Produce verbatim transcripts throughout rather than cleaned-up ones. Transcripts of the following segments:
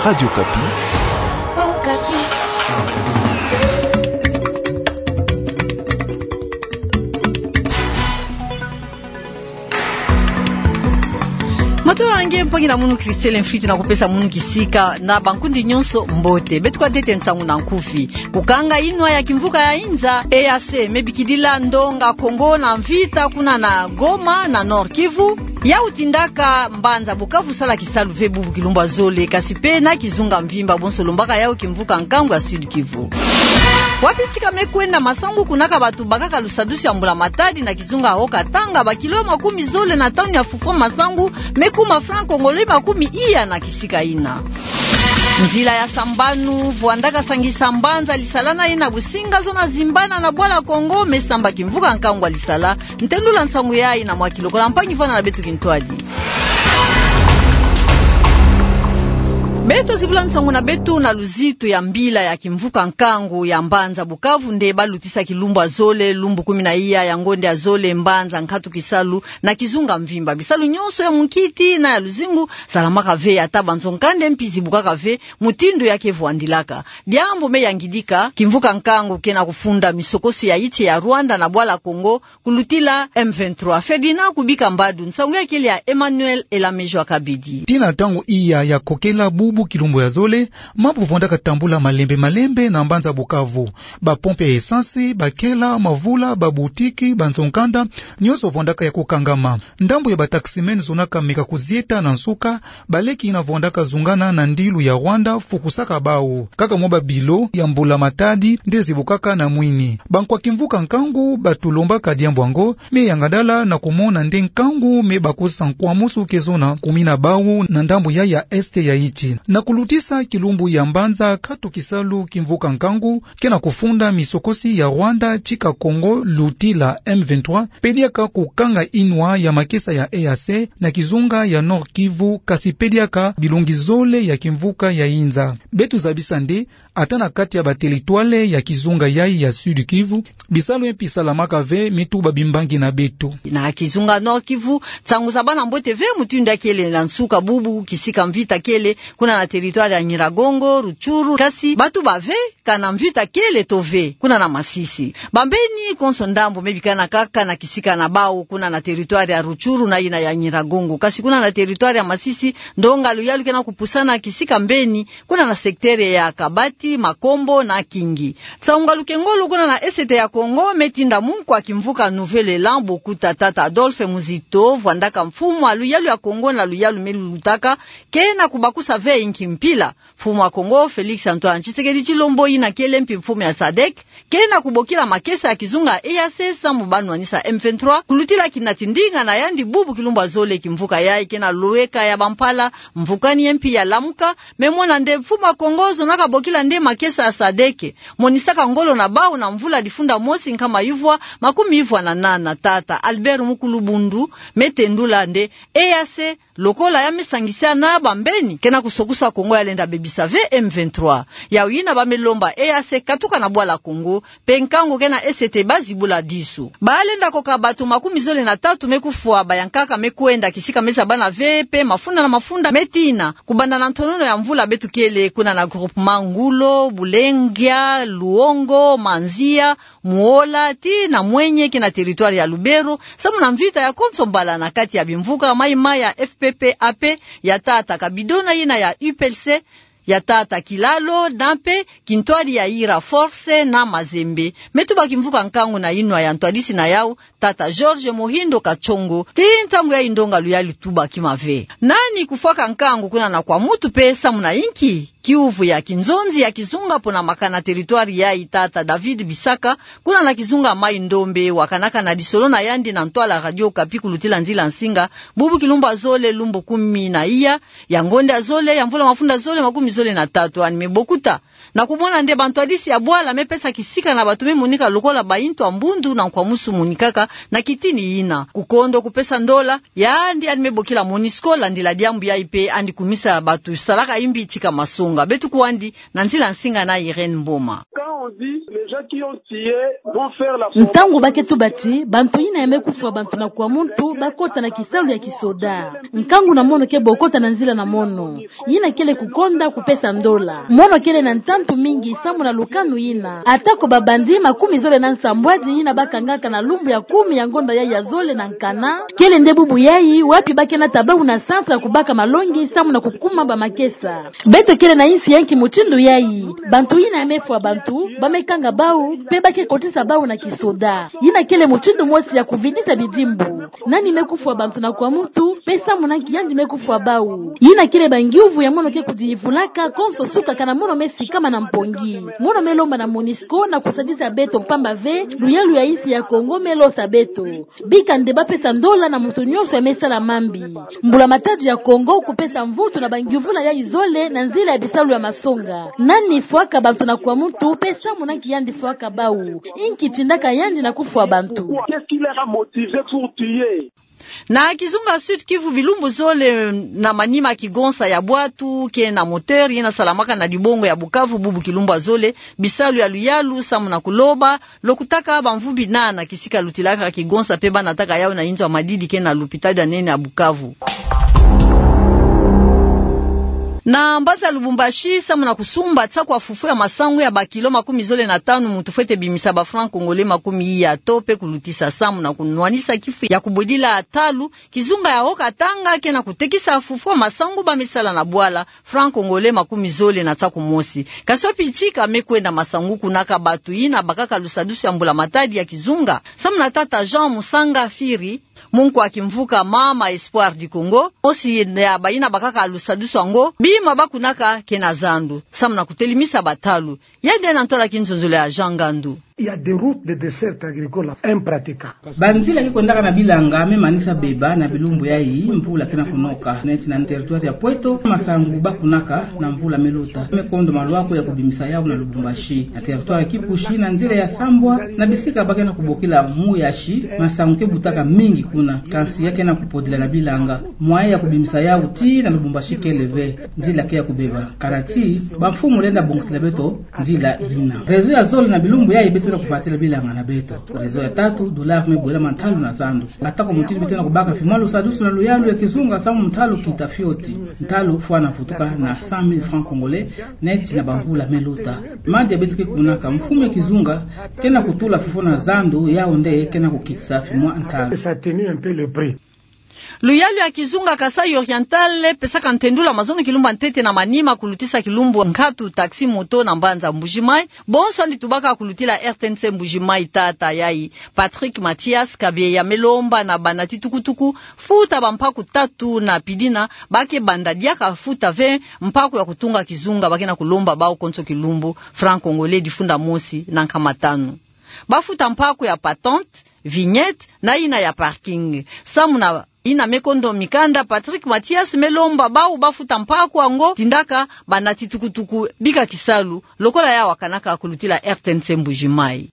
Radio Okapi. Matondo na nge mpangi na munu Christelle Mfwiti na kupesa munu kisika na bankundi nyonso mbote. Beto kwa tete nsangu na nkufi. Kukanga inwa ya kimvuka ya inza, E A C, me bikidila ndonga Kongo na mvita kuna na Goma na Nord-Kivu. Yau tindaka mbanza Bukavu sala kisalu ve bubu kilumbu ya zole, kasi pe na kizunga mvimba bonso lombaka yau kimvuka nkangu ya Sud-Kivu. Wapi tika me kwenda masangu kunaka bato bakaka lusadusu ya mbula matadi na kizunga Haut-Katanga, bakilo makumi zole na tanu ya fufo masangu me kuma franc congolais makumi iya na kisika ina. Nzila ya sambanu, vwandaka sangisa mbanza lisala na yina businga zona zimbana na bwala Kongo, me samba kimvuka nkangu ya lisala. Ntendula nsangu yayi na mwa kilokola mpangi vwanda na beto kintwadi. Beto zibula nsangu na beto na luzitu ya mbila ya kimvuka nkangu ya mbanza Bukavu nde balutisa kilumbu ya zole, lumbu kumi na iya ya ngonde ya zole, mbanza nkatu kisalu na kizunga mvimba. Bisalu nyonso ya munkiti na ya luzingu salamaka ve, ata banzo nkanda mpi zibukaka ve mutindu ya ke vwandilaka. Diambu me yangidika kimvuka nkangu ke na kufunda misokosi ya iti ya Rwanda na bwala Kongo, kulutila M vingt-trois. Ferdinand Kubika Mbadu, nsangu ya kele ya Emmanuel Elamejo Akabidi. Tii na ntangu iya ya kokela bubu kilumbu ya zole, mambu vwandaka tambula malembe malembe na mbanza Bukavu. Ba pompe ya essence, ba kela, mavula, ba boutique, banzo nkanda, nyonso vwandaka ya kukangama. Ndambu ya ba taximen zonaka meka kuzieta na nsuka, baleki yina vwandaka zungana na ndilu ya Rwanda fukusaka bau. Kaka mwa ba bilo ya mbula matadi nde zibukaka na mwini. Bankwa kimvuka nkangu batulombaka diambu yango, me yangadala na kumona nde nkangu me bakosa nkwamusu ke zona kumi na bau na ndambu yayi ya est ya iti. Na kulutisa kilumbu ya mbanza nkatu kisalu kimvuka nkangu ke na kufunda misokosi ya Rwanda tika Kongo lutila M vingt-trois, pe diaka kukanga inwa ya makesa ya E A C na kizunga ya Nord-Kivu, kasi pe diaka bilongi zole ya kimvuka ya inza. Beto zabisa nde, ata na kati ya ba territoire ya kizunga yayi ya Sud-Kivu, bisalu mpi salamaka ve, me tuba bimbangi na beto. Na kizunga Nord-Kivu, nsangu zabana mbote ve mutindu ya kele na nsuka bubu kisika mvita kele, kuna na territoire ya Nyiragongo, Rutshuru, kasi batuba ve kana mvita kele to ve kuna na Masisi. Bambeni konso ndambu me bikana kaka na kisika na bau kuna na territoire ya Rutshuru na yina ya Nyiragongo. Kasi kuna na territoire ya Masisi, ndonga luyalu ke na kupusana kisika mbeni, kuna na secteur ya Kabati, Makombo na Kingi. Nsangu ngaluke ngolo kuna na Est ya Kongo, me tinda munkwa kimvuka Nouvel Elan, bokuta tata Adolphe Muzito, vwandaka mfumu ya luyalu ya Kongo na luyalu me lulutaka, ke na kubakusa ve inki mpila. Mfumu ya Kongo, Félix Antoine Tshisekedi Tshilombo, yina kele mpi mfumu ya sadec, ke na kubokila makesa ya kizunga E A C samu ba nwanisa M vingt-trois, kulutila kina tindinga na yandi bubu kilumbu ya zole kimvuka yayi ke na lweka ya bampala, mvukani mpi ya Lamuka, me mona nde mfumu ya Kongo zonaka bokila nde makesa ya sadec, monisaka ngolo na bau na mvula difunda mosi nkama yuvwa makumi yuvwa na nana, tata Albert Mukulu Bundu, me tendula nde E A C, lokola ya me sangisa na bambeni, ke na kusokusa Kongo ya lenda bebisa ve M vingt-trois. Yau yina ba me lomba E A C katuka na bwala Kongo, pe nkangu ke na Est ba zibula disu. Ba lenda koka bato makumi zole na tatu me kufwa, bayankaka me kwenda kisika me zabana ve, pe mafunda na mafunda me tina. Kubanda na ntonono ya mvula beto kele kuna na groupement Ngulo, Bulengia, Luongo, Manzia, Muola, tii na Mwenye ke na territoire ya Lubero, samu na mvita ya konso mbala na kati ya bimvuka Mai-Mai ya F P P A P, ya tata Kabidona, yina ya U P L C, ya tata Kilalo, na mpe kintwadi ya Ira Force na Mazembe. Me tuba kimvuka nkangu na inwa ya ntwadisi na yau, tata Georges Mohindo Katshongo, tii ntangu yayi ndonga luyalu tuba kima ve. Nani kufwaka nkangu kuna na Kwamouth pe samu na inki? Kiuvu ya kinzonzi ya kizunga pona makana territoire yayi, tata David Bisaka, kuna na kizunga Mai-Ndombe, wakanaka na lisolo na yandi na ntwala Radio Okapi kulutila nzila nsinga, bubu kilumbu ya zole, lumbu kumi na iya ya ngonde ya zole ya mvula mafunda zole makumi zole na tatu, yandi me bokuta na kumona nde bantwadisi ya bwala me pesa kisika na bato me monika lokola baintu ya mbundu na nkwamusu monikaka na kitini yina. Kukondo kupesa ndola, yandi, yandi me bokila MONUSCO landila diambu yayi pe yandi kumisa bato salaka imbi tika masonga. Beto kwandi na nzila nsinga na Irène Mboma. Ntangu ba ke tuba ti bantu yina ya me kufwa bantu na kwa muntu ba kota na kisalu ya kisoda, nkangu na mono ke bo kota na nzila na mono. Yina kele kukonda kupesa ndola. Mono kele na ntantu mingi samu na lukanu yina. Ata ko ba bandits makumi zole na nsambwadi yina ba kangaka na lumbu ya kumi ya ngonda yayi ya zole na nkana, kele nde bubu yayi wapi ba ke nata bawu na centre ya kubaka malongi samu na kukuma ba makesa. Beto kele na insi ya nki mutindu yayi? Bantu yina ya me fwa bantu, ba me kanga bawu, mpe ba ke kotisa bawu na kisoda. Yina kele mutindu mosi ya kuvidisa bidimbu. Nani me kufwa bantu na kwa muntu, mpe samu na nki yandi me kufwa bawu? Yina kele ba ngiuvu ya mono ke kudiyivulaka konso suka kana mono me sikama na mpongi. Mono me lomba na MONUSCO na kusadisa beto, mpamba ve luyalu ya insi ya Kongo me losa beto. Bika nde ba pesa ndola na muntu nyonso ya me sala mambi. Mbula-matadi ya Kongo kupesa mvutu na ba ngiuvula yayi zole na nzila ya bisalu ya masonga. Nani fwaka bantu na kwa muntu, mpe samu na nki yandi fwaka bawu? Inki tindaka yandi na kufwa bantu? Qu'est-ce qui les a motivés pour tuer? Na kizunga Sud-Kivu, bilumbu zole na manima kigonsa ya bwatu ke na moteur yina salamaka na dibongo ya Bukavu, bubu kilumbu ya zole, bisalu ya luyalu samu na kuloba lokutaka bamvumbi nana kisika lutilaka kigonsa mpe ba nataka yawu na inzo ya madidi ke na lupitali ya nene ya Bukavu. Na mbanza Lubumbashi, samu na kusumba tia kwa fufula masangu ya ba kilo makumi zole na tanu, muntu fwete bimisa ba francs congolais makumi iya to mpe kulutisa samu na kunwanisa kifu ya kubwedila ntalu. Kizunga ya Haut-Katanga ke na kutekisa fufula masangu ba me sala na bwala, francs congolais makumi zole na tia kumosi. Kasi wapi tika me kwenda masangu kuna? Ka batu yina bakaka lusadusu ya mbula-matadi ya kizunga. Samu na tata Jean Musanga Firi, munku ya kimvuka Mama Espoir du Congo, mosi ya bayina bakaka lusadusu yango, bima ba kunaka ke na zandu samu na kutelimisa bantalu. Yandi na ntola kinzonzolo ya Jean Ngandu. Il y a des routes de desserte agricole impraticables. Banzila ke kwendaka na bilanga me manisa beba na bilumbu yayi mvula ke na kunoka. Neti na territoire ya Pweto, masangu ba kunaka na mvula me luta me kondo malwaku ya kubimisa yawu na Lubumbashi. Na territoire ya Kipushi, na nzila ya Sambwa, na bisika ba ke na kubokila Muyashi, masangu ke butaka mingi kuna, kansi ya ke na kupodila na bilanga. Mwaye ya kubimisa yawu tii na Lubumbashi kele ve, nzila ke ya kubeba. Kana ti bamfumu lenda bongisila beto nzila yina. Réseau ya zole na bilumbu yayi beto na kubatila bilanga na beto. Réseau ya tatu, dollar me bwela mantalu na zandu. Ata ko mutindu beto na kubaka fimwa lusadusu na luyalu ya kizunga samu ntalu kita fioti. Ntalu fwana vutuka na cent mille francs congolais, neti na bamvula me luta. Madi ya beto ke kunaka, mfumu ya kizunga ke na kutula fufula na zandu, yawu nde ke na kukitisa fimwa ntalu. Ça atténue un peu le prix. Luyalu ya kizunga Kasaï Oriental pesaka ntendula mazono kilumbu ya ntete na manima kulutisa kilumbu nkatu taxi-moto na mbanza Mbuji-Mayi. Bonso yandi tubaka kulutila R T N C Mbuji-Mayi, tata yayi Patrick Mathias Kabieya me lomba na banati tukutuku futa bampaku tatu na pidina, ba ke banda diaka futa ve mpaku ya kutunga kizunga. Ba ke na kulomba bawu konso kilumbu francs congolais difunda mosi na nkama tanu. Ba futa mpaku ya patente, vignette, na yina ya parking. Samu na yina me kondo mikanda, Patrick Mathias me lomba bawu ba futa mpaku yango tindaka banati tukutuku bika kisalu, lokola ya wakanaka kulutila R T N C Mbuji-Mayi.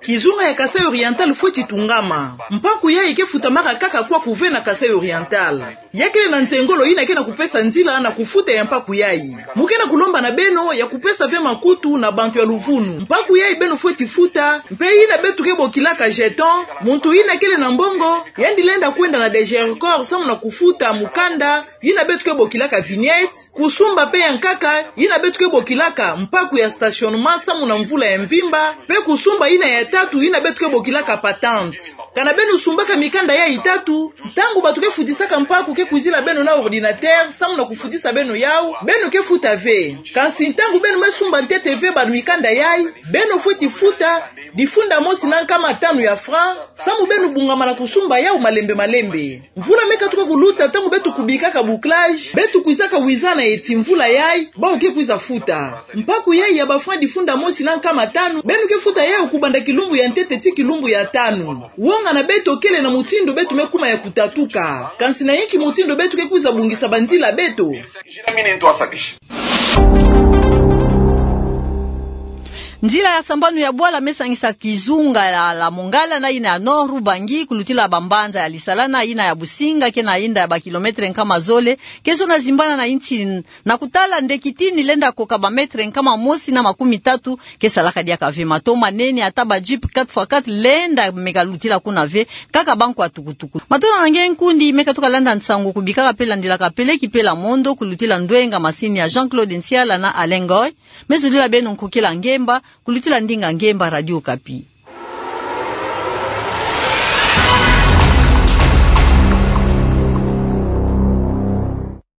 Kizunga ya Kasaï Oriental fweti tungama. Mpaku yayi ke futamaka kaka kwaku ve na Kasaï Oriental. Ya kele na nsengolo yina ke na kupesa nzila na kufuta ya mpaku yayi. Mu ke na kulomba na beno ya kupesa ve makutu na bantu ya luvunu. Mpaku yayi beno fweti futa, mpe yina beto ke bokilaka jeton, muntu yina kele na mbongo, yandi lenda kwenda na DGRCOR samu na kufuta mukanda yina beto ke bokilaka vignette, kusumba mpe ya nkaka yina beto ke bokilaka mpaku ya stationnement samu na mvula ya mvimba, mpe kusumba yina ya tatu yina beto ke bokilaka patente. Kana beno sumbaka mikanda yayi tatu, ntangu bato ke futisaka mpaku ke kwizila beno na ordinateur samu na kufutisa beno yawu, beno ke futa ve. Kansi ntangu beno me sumba ntete ve ba mikanda yayi, beno fweti futa difunda mosi na nkama tanu ya francs, samu beno bungama na kusumba yawu malembe malembe. Mvula me katuka kuluta, ntangu beto kubikaka bouclage, beto kwizaka wiza na eti mvula yayi, bawu ke kwiza futa. Mpaku yayi ya ba francs difunda mosi na nkama tanu, beno ke futa yawu kubanda kilumbu ya ntete tii kilumbu ya tanu. Wonga na beto kele na mutindu beto me kuma ya kutatuka. Kansi na yinki mutindu beto ke kwiza bungisa banzila beto? Nzila ya sambanu ya bwala me sangisa kizunga ya la Mongala na yina ya Nord-Ubangi, kulutila bambanza ya Lisalana, yina ya Businga, ke na yinda ya ba kilometre nkama zole, ke zona zimbana na yinti na kutala nde kitini lenda koka ba metre nkama mosi na makumi tatu, ke salaka diaka ve. Mato manene ata ba jeep quatre fois quatre lenda meka lutila kuna ve, kaka bankwa tukutuku. Mato na nge nkundi meka tuka landa nsangu kubika ka pela ndila ka pele ki pela mondo, kulutila ndwenga masini ya Jean-Claude Nsiala na Alain Ngoy, me zolila beno nkokela ngemba, kulutila ndinga ngemba Radio Okapi.